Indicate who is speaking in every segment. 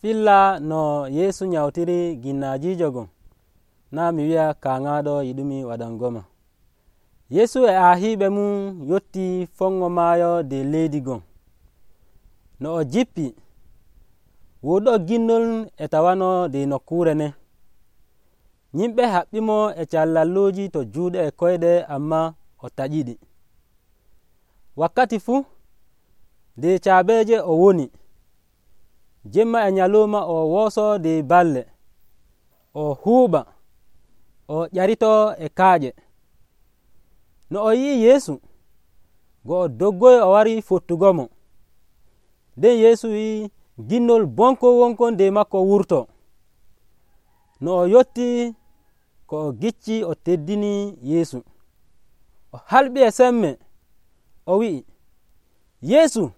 Speaker 1: filla no yeesu nyawtiri ginnaajiijo gon naa mi wi'a kaaŋaaɗo yiɗumi waɗangoma. yeesu e aahiiɓe mum yotti fongo maayo de leydi gon. no o jippi woɗɗo ginnol e tawano de nokkuure nden. yimɓe haɓɓimo e callalluuji to juuɗe e koyɗe, amma o taƴiɗi. wakkati fuu de caabeeje o woni, jemma e nyaluma o wooso de balle, o huuɓa, o ƴarito e kaaƴe. no o yi'i yeesu, go o doggoyi o wari fottugomo. nden yeesu wi'i ginnol bonkon wonkon de makko wurto. no o yotti ko o gicci o teddini yeesu, o halɓi e semme, o wi'i, yeesu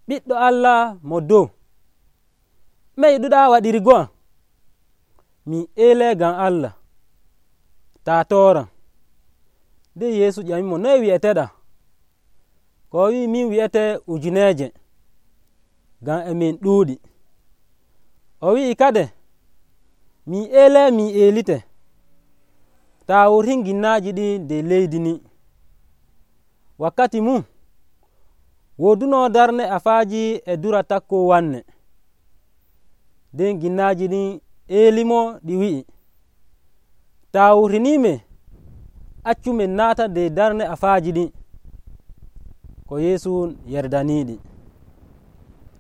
Speaker 1: ɓiɗɗo allah mo dow, me yiɗuɗa waɗirgo am? mi eele ngam allah, ta tooram. nden yeesu ƴamimo, noye wi'eteɗa? ko o wi'i, min wi'ete ujuneeje, ngam emin ɗuuɗi. o wi'i kade, mi eele mi eelite, ta wurtin ginnaaji ɗi de leydi ni. wakkati mum woduno darne afaaji e dura takko wanne. nden ginnaaji ɗin eelimo ɗi wi'i, ta wurtinime, accu min naata de darne afaaji ɗin. ko yeesu yerdaniiɗi.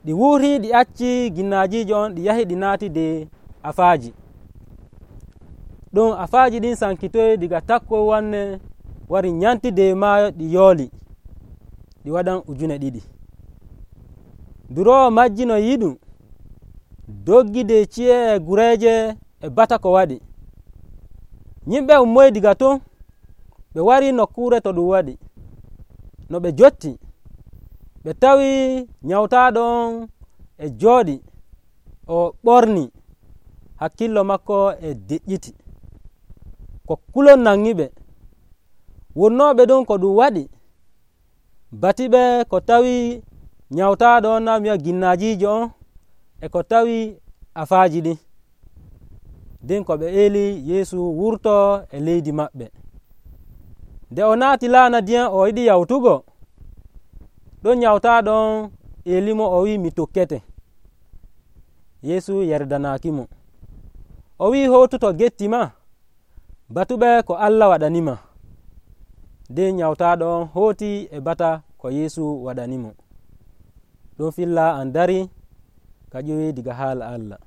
Speaker 1: ɗi wuuri ɗi acci ginnaajiijo on, ɗi yahi ɗi naati de afaaji. ɗon afaaji ɗin sankitoyi diga takko wanne wari nyanti de maayo, ɗi yooli, ɗi waɗan 2,000. duroowo majji no yiɗum doggi de ci'e e gureeje e bata ko waɗi. yimɓe ummoyi diga ton, ɓe wari nokkuure to ɗum waɗi. no ɓe jotti, ɓe tawi nyawtaaɗo on e jooɗi, o ɓorni, hakkillo makko e deƴƴiti, ko kulol nangiɓe. wonnooɓe ɗon ko ɗum waɗi batiɓe ko tawi nyawtaaɗo on, naa mi wi'a ginnaajiijo on, e ko tawi afaaji ɗin. nden ko ɓe eeli yeesu wurto e leydi maɓɓe. nde o naati laana ndiyam, o yiɗi yawtugo, ɗon nyawtaaɗo on eelimo, o wi'i, mi tokkete. yeesu yerdanaakimo. o wi'i, hootuto getti ma, batuɓe ko allah waɗanima. nden nyawtaaɗo on hooti e bata ko yeesu waɗanimo. ɗon filla an dari ka ƴoyi diga haala allah.